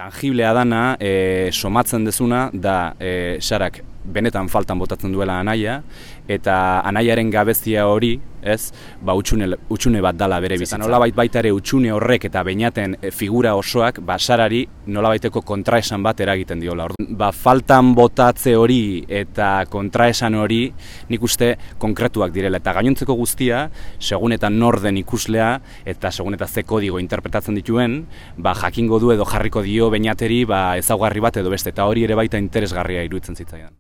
Tangiblea dana, somatzen dezuna, da Sarak benetan faltan botatzen duela anaia, eta anaiaren gabezia hori, ez, utxune bat dala bere bizitzan. Nolabait baita ere utxune horrek eta beinaten figura osoak, Sarari nolabaiteko kontraesan bat eragiten diola. Faltan botatze hori eta kontraesan hori nik uste konkretuak direla. Eta gainontzeko guztia, segun eta nor den ikuslea, eta segun eta ze kodigo interpretatzen dituen, jakingo du edo jarriko dio beinateri ezaugarri bat edo beste, eta hori ere baita interesgarria iruditzen zitzaidan.